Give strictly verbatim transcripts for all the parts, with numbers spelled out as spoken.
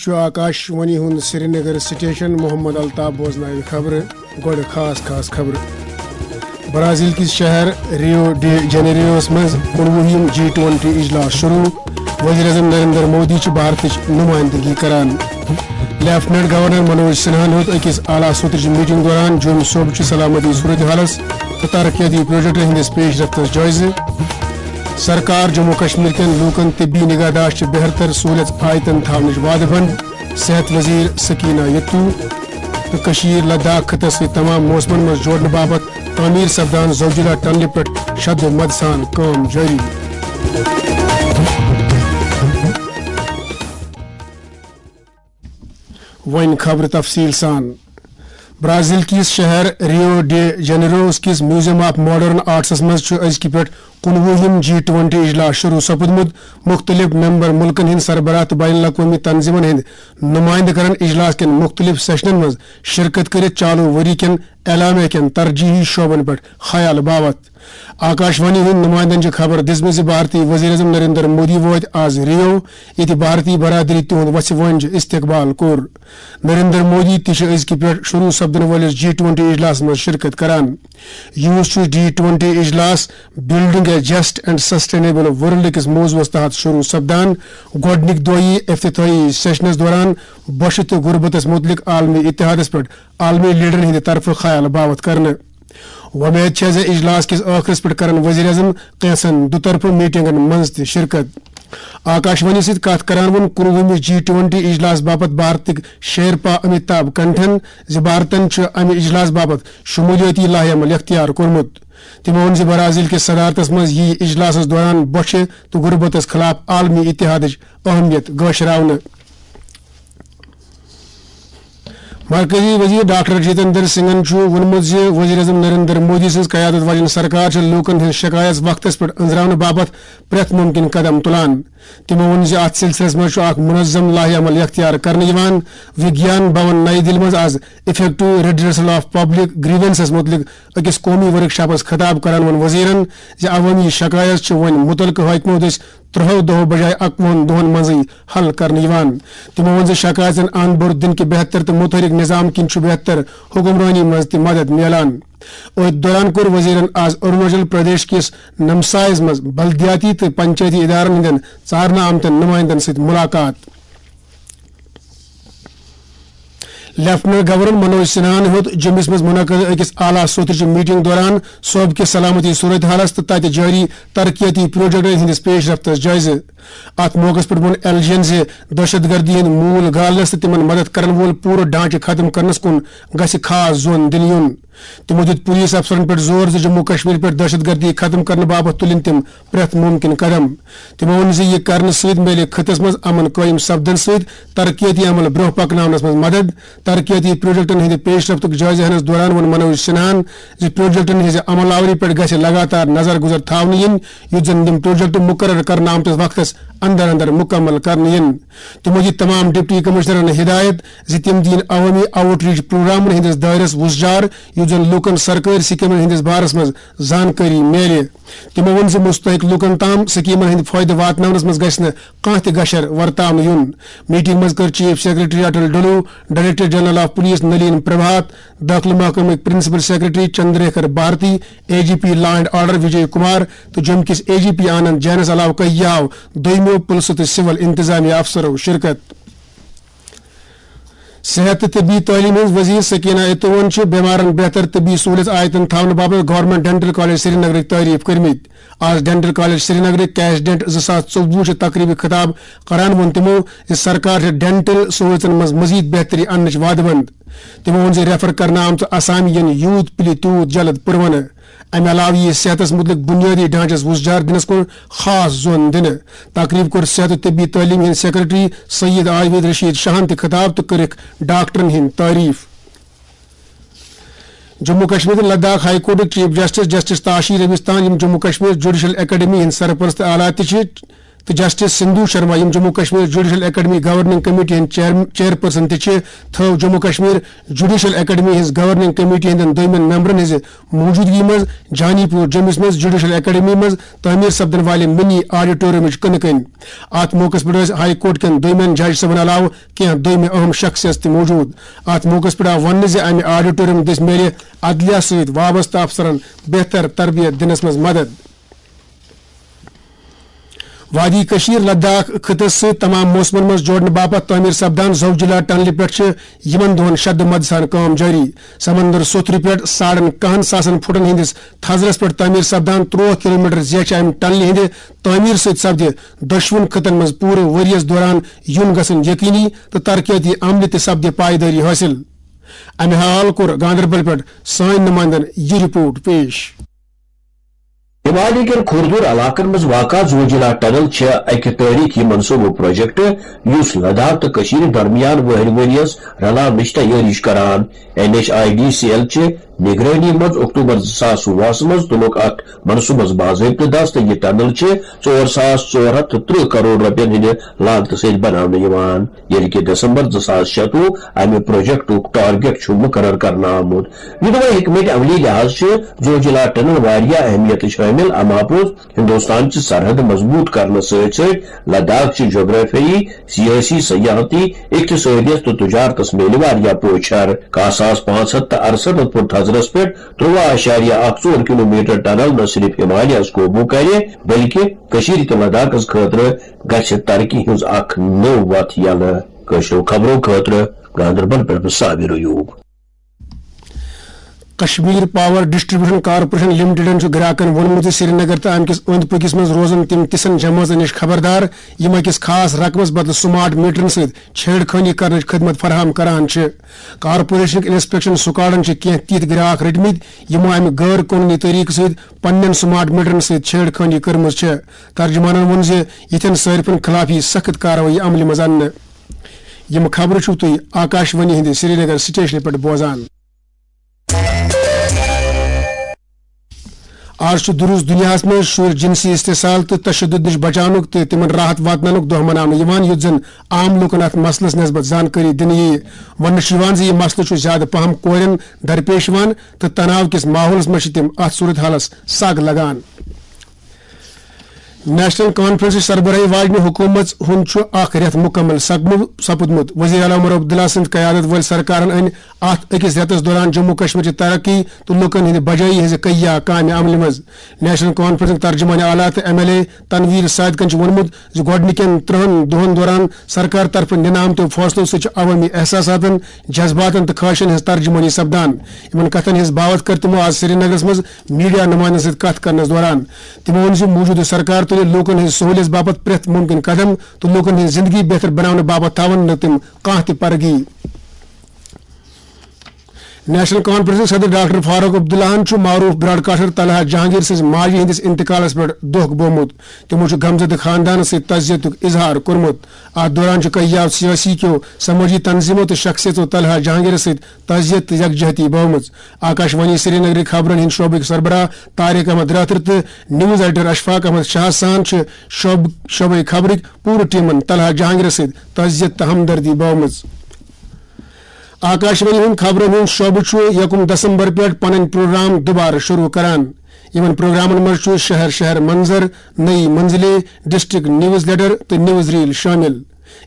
چھُ آکاش وانی ہُنٛد سرینگر سٹیشن۔ محمد الطاف بوزناوِ خبرٕ۔ گۄڈٕ خاص خاص خبرٕ۔ برازیل کِس شہر ریو ڈی جنیریوس منٛز کُنوُہِم جی ٹوئنٹی اجلاس شروع۔ وزیر اعظم نریندر مودی چھُ بھارتٕچ نمائندگی کران۔ لیفٹیننٹ گورنر منوج سنہاہن ہیوٚت أکِس اعلیٰ سطرٕچ میٹنگ دوران جوٚم صوبہٕ چہِ سلامتی صورتحالس تہٕ ترقیتی پروجیکٹن ہٕنٛدِس پیش رفتس جٲیزٕ۔ سرکار جموں کشمیر کٮ۪ن لوٗکن طبی نگہداشت چہِ بہتر سہولیژ آیتن تھاونٕچ وعدٕ بنٛد۔ صحت وزیر سکینہ یتو تہٕ کشمیر لداخ خطس سۭتۍ تمام موسمن منٛز جوڑنہٕ باپتھ تعمیر سپدان زوجیلا ٹنلہِ پٮ۪ٹھ شد و مد سان کٲم جٲری۔ وۄنۍ خبرٕ تفصیٖل سان۔ برازیل کِس شہر ریو ڈی جنیروس کِس میوزیم آف ماڈرن آرٹسس منٛز چھُ أزکہِ پٮ۪ٹھ کُنوُہِم جی ٹوئنٹی اجلاس شروع سپُدمُت۔ مُختٔلِف ممبر مُلکن ہٕنٛدۍ سربراہ تہٕ بین الاقوٲمی تنظیمن ہٕنٛدۍ نمائندٕ کرن اجلاس کٮ۪ن مُختٔلِف سیشنن منٛز شرکت کٔرِتھ چالو ؤری کٮ۪ن اعلامیہ کٮ۪ن ترجیحی شعبن پٮ۪ٹھ خیال باوتھ۔ آکاش وانی ہٕنٛدۍ نمائندن چھِ خبر دِژمٕژ زِ بھارتی وزیر اعظم نریندر مودی وٲتۍ آز ریو، ییٚتہِ بھارتی برادری تِہُنٛد وژھِ وٲنٛجہِ استقبال کوٚر۔ نریندر مودی تہِ چھِ أزکہِ پٮ۪ٹھ شروع سپدن وٲلِس جی ٹوئنٹی اجلاسس منٛز شرکت کران۔ یوٗس چھُ جی ٹوئنٹی اجلاس Building a Just and Sustainable World کِس موضوعس تحت شروع سپدان۔ گۄڈٕنِکۍ دۄہ یی افتتاحی سیشنس دوران بۄچھِ تہٕ غربتس مُتعلق عالمی اتحادس پٮ۪ٹھ عالمی لیڈرن ہٕنٛدِ طرفہٕ خیال باوتھ کرنہٕ۔ وۄمید چھےٚ زِ اجلاس کِس ٲخرس پٮ۪ٹھ کرن وزیر اعظم کینٛژن دُطرفہٕ میٹنگن منٛز تہِ شرکت۔ آکاش وانی سۭتۍ کتھ کران ووٚن کُنوُہمِس جی ٹوئنٹی اجلاس باپتھ بھارتٕکۍ شیرپا امیتابھ کنٹھن زِ بھارتن چھُ امہِ اجلاس باپتھ شمولیٲتی لائحہ عمل اختیار کوٚرمُت۔ تٔمۍ ووٚن زِ برازیل کِس صدارتس منٛز یِیہِ اجلاسس دوران بۄچھِ تہٕ غربتس خلاف عالمی اتحادٕچ اہمیت گٲشراونہٕ۔ مرکزی وزیر ڈاکٹر جتیندر سنگھن چھُ ووٚنمُت زِ وزیر اعظم نریندر مودی سٕنٛز قیادت واجٮ۪ن سرکار چھِ لوٗکن ہٕنٛز شکایژ وقتس پٮ۪ٹھ أنٛزراونہٕ باپتھ پرٛٮ۪تھ مُمکِن قدم تُلان۔ تِمو ووٚن زِ اتھ سلسلس منٛز چھُ اکھ منظم لائحہ عمل اختیار کرنہٕ یِوان۔ وگیان بھون نئی دِلہِ منٛز آز Effective Redressal of Public Grievances مُتعلق أکِس قومی ورکشاپس خطاب کران ووٚن وزیرن زِ عوٲمی شکایژ چھِ وۄنۍ مُتعلقہٕ حٲکمو دٔسۍ ترٛہو دۄہو بجایہِ اَکوُہن دۄہن منٛزٕے حل کرنہٕ یِوان۔ تِمو ووٚن زِ شکایژن اند بوٚر دِنہٕ کہِ بہتر تہٕ مُتحرک نظام کِنۍ چھُ بہتر حکمرٲنی منٛز تہِ مدد میلان۔ أتھۍ دوران کوٚر وزیرن آز اروناچل پردیش کِس نمسایس منٛز بلدیاتی تہٕ پنچایتی ادارن ہٕنٛدٮ۪ن ژارنہٕ آمتٮ۪ن نمائندن سۭتۍ مُلاقات۔ لیفٹیننٹ گورنر منوج سنہاہن ہیوٚت جوٚمِس منٛز منعقد أکِس اعلیٰ سطرٕچہِ میٹنگ دوران صوبہٕ کِس سلامتی صورتحالس تہٕ تتہِ جٲری ترقیتی پروجیکٹن ہٕنٛدِس پیش رفتس جٲیزٕ۔ اتھ موقعس پٮ۪ٹھ ووٚن ایل جی ین زِ دہشت گردی ہٕنٛدۍ موٗل گالنس تہٕ تِمن مدد کرن وول پوٗرٕ ڈھانچہٕ ختم کرنس کُن گژھِ خاص زون دِنہٕ یُن۔ تِمو دیُت پولیس افسرن پٮ۪ٹھ زور زِ جموں کشمیر پٮ۪ٹھ دہشت گردی ختم کرنہٕ باپتھ تُلِن تِم پرٛٮ۪تھ مُمکِن قدم۔ تِمو ووٚن زِ یہِ کرنہٕ سۭتۍ میلہِ خطس منٛز امن قٲیِم سپدنہٕ سۭتۍ ترقیتی عمل برٛونٛہہ پکناونس منٛز مدد۔ ترقیتی پروجیکٹن ہٕنٛدِ پیش رفتُک جٲیزٕ ہینس دوران ووٚن منوج سنہاہن زِ پروجیکٹن ہٕنٛزِ عمل آوری پٮ۪ٹھ گژھِ لگاتار نظر گُزر تھاونہٕ یِنۍ، یُتھ زن یِم پروجیکٹ مقرر کرنہٕ آمتِس وقتس اندر اندر مکمل کرنہٕ یِن۔ تِمو دِتۍ تمام ڈپٹی کمشنرن ہدایت زِ تِم دِیِن عوٲمی آؤٹ ریچ پروگرامن ہٕنٛدِس دٲیرس وُژھ جار، یُتھ زن لوٗکن سرکٲرۍ سکیمن ہٕنٛدِس بارس منٛز زانکٲری میلہِ۔ تِمو ووٚن زِ مستحق لوٗکن تام سکیمن ہٕنٛدۍ فٲیدٕ واتناونس منٛز گژھِ نہٕ کانٛہہ تہِ گشر ورتاونہٕ یُن۔ میٹنگ منٛز کٔر chief secretary Atal Dulloo, director general of police Nalin Prabhat, داخلہٕ محکمٕکۍ principal secretary Chandraker Bharti, A G P law and order Vijay Kumar تہٕ جوٚم کِس اے جی پی آنند جینس علاوٕ کٔہیاہو دوٚیمیو پُلسہٕ تہٕ سول انتظامیہ افسرو شرکت۔ صحت تہٕ طبی تعلیٖم ہٕنٛز وزیر سکینہ اتوون چھِ بٮ۪مارن بہتر طبی سہوٗلیت آیتن تھاونہٕ باپتھ گورنمنٹ ڈینٹل کالج سرینگرٕکۍ تعریف کٔرمٕتۍ۔ آز ڈینٹل کالج سرینگرٕکۍ کیش ڈینٹ زٕ ساس ژوٚوُہ چہِ تقریبہِ خطاب کران ووٚن تِمو زِ سرکار چھِ ڈینٹل سہوٗلیژن منٛز مزید بہتری اننٕچ وعدٕ بنٛد۔ تِمو ووٚن زِ ریفر کرنہٕ آمژٕ آسامین یوٗت پِلہِ تیوٗت جلد پُروَنہٕ۔ امہِ علاوٕ یِیہِ صحتس مُتعلق بُنیٲدی ڈھانچس وُژھ جار دِنس کُن خاص زون دِنہٕ۔ تقریب کوٚر صحت و طبی تعلیٖم ہٕنٛدۍ سیکرٹری سید عابد رشید شاہن تہِ خطاب تہٕ کٔرٕکھ ڈاکٹرن ہٕنٛدۍ تعریف۔ جموں کشمیر تہٕ لداخ ہائی کورٹٕکۍ chief justice justice Tashi Rabstan, یِم جموں کشمیر جوڈیشل اکیڈمی ہٕنٛدۍ سرپرست اعلیٰ تہِ چھِ، تہٕ جسٹس سندھو شرما، یِم Jammu Kashmir judicial academy governing committee ہٕنٛدۍ چیئر-، چیئرپرسن تہِ چھِ، تھٲو جموں کشمیر جوڈیشل اکیڈمی ہٕنٛز گورننگ کمیٹی ہٕنٛدٮ۪ن دویمٮ۪ن ممبرن ہٕنٛزِ موجودگی منٛز جانی پور جوٚمِس منٛز جوڈیشل اکیڈمی منٛز تعمیٖر سپدن والہِ منی آڈیٹورمٕچ کٕنہٕ کٔنۍ۔ اتھ موقعس پٮ۪ٹھ ٲسۍ ہائی کورٹ کٮ۪ن دویمٮ۪ن جج صٲبن علاوٕ کینٛہہ دویمہِ اہم شخصیژ تہِ موجود۔ اتھ موقعس پٮ۪ٹھ آو وننہٕ زِ امہِ آڈیٹوریم دٔسۍ میلہِ عدلیہ سۭتۍ وابستہٕ افسرن بہتر تربیت دِنس منٛز مدد۔ وادی کشیر لداخ خطس سۭتۍ تمام موسمن منٛز جوڑنہٕ باپتھ تعمیر سپدان زوجلا ٹنلہِ پٮ۪ٹھ چھِ یِمن دۄہن شدٕ مدٕ سان کٲم جٲری۔ سمندر سوٚتھرِ پٮ۪ٹھ ساڑن کاہن ساسن فٹن ہٕنٛدِس تھزرس پٮ۪ٹھ تعمیر سپدان ترٛوہ کلومیٹر زیچھِ امہِ ٹنلہِ ہٕنٛدِ تعمیر سۭتۍ سپدِ دۄشوٕنۍ خطن منٛز پوٗرٕ ؤرۍ یَس دوران یُن گژھُن یقینی تہٕ ترقیتی عملہِ تہِ سپدِ پائیدٲری حٲصِل۔ امہِ حوالہٕ کوٚر گاندربل پٮ۪ٹھ سٲنۍ نمائندن یہِ رپورٹ پیش۔ ہمالیہ کٮ۪ن کھوردھوٗر علاقن منٛز واقع زوجلا ٹنل چھےٚ اکہِ تٲریخی منصوبہٕ پروجیکٹ، یُس لداخ تہٕ کٔشیٖرِ درمیان وُہرِ ؤرۍ یَس رلاونٕچ تیٲری چھُ کران۔ N H I D C L چہِ نگرٲنی منٛز اکتوبر زٕ ساس وُہَس منٛز تُلُکھ اَتھ منصوٗبس باضٲبطہٕ دَس تہٕ یہِ ٹنل چھِ ژور ساس ژور ہَتھ تہٕ ترٕٛہ کرور رۄپین ہٕنٛدِ لاگتہٕ سۭتۍ بناونہٕ یِوان، ییٚلہِ کہِ دسمبر زٕ ساس شتوُہ امہِ پروجیکٹُک ٹارگیٹ چھُ مُقرر کرنہٕ آمُت۔ یوٚدوے حکمت عملی لحاظ چھِ زوجلا ٹنل واریاہ اہمیتٕچ حٲمِل، اَمہِ باپتھ ہندوستان چہِ سرحد مضبوط کرنہٕ سۭتۍ سۭتۍ لداخ چہِ جغرافیائی، سیٲسی، سیاحتی، اقتصٲدیس تہٕ تجارتس میلہِ واریاہ پوچھر۔ کاہ ساس پانٛژھ ہتھ تہٕ ارسَتتھ فٹ تھزرس پٮ۪ٹھ ترٛوہ اعشاریہ اکھ ژور کلومیٹر ٹنل نہ صرف ہمالیہس قوبو کرِ، بلکہ کٔشیٖرِ تہٕ لداخس خٲطرٕ گژھِ ترقی ہٕنٛز اکھ نٔو وتھ یلہٕ۔ کٲشرٮ۪و خبرو خٲطرٕ گاندربل پٮ۪ٹھ Sabir Ayub. Kashmir power distribution corporation لمیٹڈن چھُ گراکن ووٚنمُت زِ سرینگر تہٕ امہِ کِس أنٛدۍ پٔکِس منٛز روزن تِم تِژھن جمٲژن نِش خبردار، یِم أکِس خاص رقمس بدلہٕ سمارٹ میٹرن سۭتۍ چھیڑ خٲنی کرنٕچ خدمت فراہم کران چھِ۔ کارپوریشنٕکۍ انسپیکشن سکواڈن چھِ کینٛہہ تِتھۍ گراک رٔٹمٕتۍ، یِمو امہِ غٲر قونوٗنی طریقہٕ سۭتۍ پننٮ۪ن سمارٹ میٹرن سۭتۍ چھیڑ خٲنی کٔرمٕژ چھےٚ۔ ترجمانن ووٚن زِ یِتھٮ۪ن صٲرفن خلاف یِیہِ سخت کاروٲیی عملہِ منٛز اننہٕ۔ یِم خبرٕ چھِو تُہۍ آکاش وانی ہٕنٛدِ سرینگر سٹیشنہٕ پٮ۪ٹھ بوزان۔ آز چھُ درست دُنیاہَس منٛز شُرۍ جنسی استحصال تہٕ تشدد نِش بچاونُک تہٕ تِمن راحت واتناونُک دۄہ مناونہٕ یِوان، یُتھ زن عام لوٗکن اَتھ مسلس نسبت زانکٲری دِنہٕ یِیہِ۔ وننہٕ چھُ یِوان زِ یہِ مسلہٕ چھُ زیادٕ پہم کورٮ۪ن درپیش یِوان تہٕ تناو کِس ماحولس منٛز چھِ تِم اَتھ صورت حالس سگ لگان۔ نیشنل کانفرنسٕچ سربراہی واجنہِ حکومت ہُنٛد چھُ اکھ رٮ۪تھ مُکمل سپمُ-، سپُدمُت۔ وزیر اعلیٰ عمر عبداللہ سٕنٛز قیادت وٲلۍ سرکارن أنۍ اتھ أکِس رٮ۪تس دوران جموں کشمیر چہِ ترقی تہٕ لوٗکن ہٕنٛدِ بجٲیی ہٕنٛزِ کہیا کامہِ عملہِ منٛز۔ نیشنل کانفرنسٕکۍ ترجمان اعلیٰ تہٕ ایم ایل اے تنویر صادقن چھُ ووٚنمُت زِ گۄڈٕنِکٮ۪ن ترٛہن دۄہن دوران سرکار طرفہٕ نِنہٕ آمتیو فٲصلو سۭتۍ چھِ عوٲمی احساساتن، جذباتن تہٕ خواہشن ہٕنٛز ترجمٲنی سپدان۔ یِمن کتھن ہٕنٛز باوتھ کٔر تِمو آز سرینگرس منٛز میڈیا نمائندن سۭتۍ کتھ کرنس دوران۔ تِمو ووٚن زِ موجودٕ سرکار تُلہِ لوٗکن ہٕنٛزِ سہوٗلیژ باپتھ پرٛٮ۪تھ مُمکِن قدم تہٕ لوٗکن ہٕنٛز زِندگی بہتر بناونہٕ باپتھ تھاوَن نہٕ تِم کانٛہہ تہِ پرگی۔ نیشنل کانفرنسٕکۍ صدر ڈاکٹر فاروق عبداللہَن چھُ معروف براڈکاسٹر طلحہ جہانگیر سٕنٛزِ ماجہِ ہٕنٛدِس انتقالس پٮ۪ٹھ دۄکھ بوومُت۔ تِمو چھُ غمزدٕ خاندانس سۭتۍ تعزیتُک اظہار کوٚرمُت۔ اتھ دوران چھُ کیاو سیٲسی کیو، سمٲجی تنظیمو تہٕ شخصیژو طلحہ جہانگیرس سۭتۍ تعزیت تہٕ یکجہتی بٲومٕژ۔ آکاش وانی سرینگرٕکۍ خبرن ہٕنٛدۍ شعبٕکۍ سربراہ طارق احمد رٲتھر تہٕ نیوز ایڈیٹر اشفاق احمد شاہ سان چھِ شعب-، شعبے خبرٕکۍ پوٗرٕ ٹیمن طلحہ جہانگیرس سۭتۍ تعزیت تہٕ ہمدردی بٲومٕژ۔ آکاش وانی ہُنٛد خبرن ہُنٛد شعبہٕ چھُ یکم دسمبر پٮ۪ٹھ پنٕنۍ پروگرام دوبارٕ شروع کران۔ یِمن پروگرامن منٛز چھُ شہر شہر منظر، نئی منزلیں، ڈسٹرکٹ نیوز لیٹر تہٕ نیوز ریل شٲمِل۔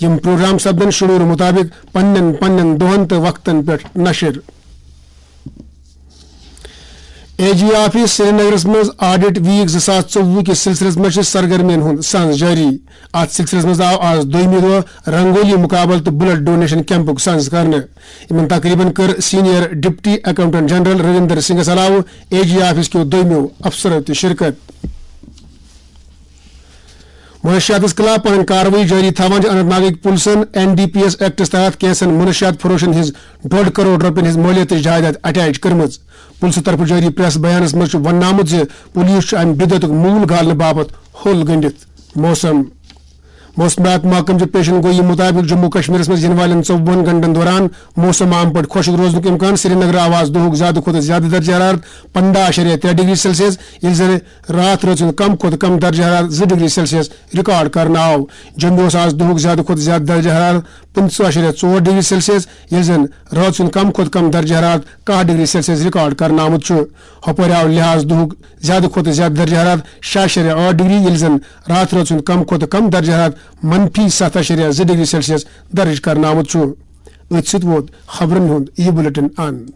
یِم پروگرام سپدن شیڈول مُطابِق پننٮ۪ن پننٮ۪ن دۄہن تہٕ وقتن پٮ۪ٹھ نشر۔ اے جی آفس سرینگرس منٛز آڈٹ ویک زٕ ساس ژوٚوُہ کِس سلسلس منٛز چھِ سرگرمین ہُنٛد سنز جٲری۔ اتھ سلسلس منٛز آو آز دوٚیمہِ دۄہ رنگولی مقابلہٕ تہٕ بلڈ ڈونیشن کیمپُک سنز کرنہٕ۔ یِمن تقریبن کٔر senior deputy accountant general Ravinder سنگھس علاوٕ اے جی آفس کیو دوٚیمٮ۪و افسرو تہِ شرکت۔ منشیاتس خلاف پنٕنۍ کاروٲیی جٲری تھاوان چھِ اننت ناگٕکۍ پُلسن این ڈی پی ایس ایکٹس تحت کینٛژن منشیات فروشن ہٕنٛز ڈۄڈ کرور رۄپین ہٕنٛز مٲلیتٕچ جائیداد اٹیچ کٔرمٕژ۔ پُلسہٕ طرفہٕ جٲری پریس بیانس منٛز چھُ وننہٕ آمُت زِ پُلیٖس چھُ امہِ بدعتُک موٗل گالنہٕ باپتھ ہوٚل گٔنڈِتھ۔ موسم۔ موسمیات محکمہٕ چہِ پیشن گویی مُطٲبِق جموں کشمیرس منٛز یِنہٕ والٮ۪ن ژوٚوُہن گھنٹن دوران موسم عام پٲٹھۍ خۄشک روزنُک امکان۔ سرینگرٕ آو آز دُہُک زیادٕ کھۄتہٕ زیادٕ درجہ حرارت پنٛداہ اَشاریہ ترٛےٚ ڈگری سیلسیس، ییٚلہِ زن راتھ رٲژ ہُنٛد کم کھۄتہٕ کم درجہ حرارت زٕ ڈگری سیلسیس ریکارڈ کرنہٕ آو۔ جوٚمہِ اوس آز دُہُک زیادٕ کھۄتہٕ زیادٕ درجہ حرارت پٕنٛژٕہ اَشاریہ ژور ڈگری سیلسیس، ییٚلہِ زن رٲژ ہُنٛد کم کھۄتہٕ کم درجہ حرارت کاہ ڈگری سیلسیس ریکارڈ کرنہٕ آمُت چھُ۔ ہۄپٲرۍ آو لحاظ دُہُک زیادٕ کھۄتہٕ زیادٕ درجہ حرارت شےٚ اَشاریہ ٲٹھ ڈگری، ییٚلہِ زن راتھ رٲژ ہُنٛد کم کھۄتہٕ کم درجہ حرارت منفی ستھ اَشاریہ زٕ ڈگری سیلسیس درج کرنہٕ آمُت چھُ۔ أتھۍ سۭتۍ ووت خبرن ہُنٛد یہِ بُلٹن اند۔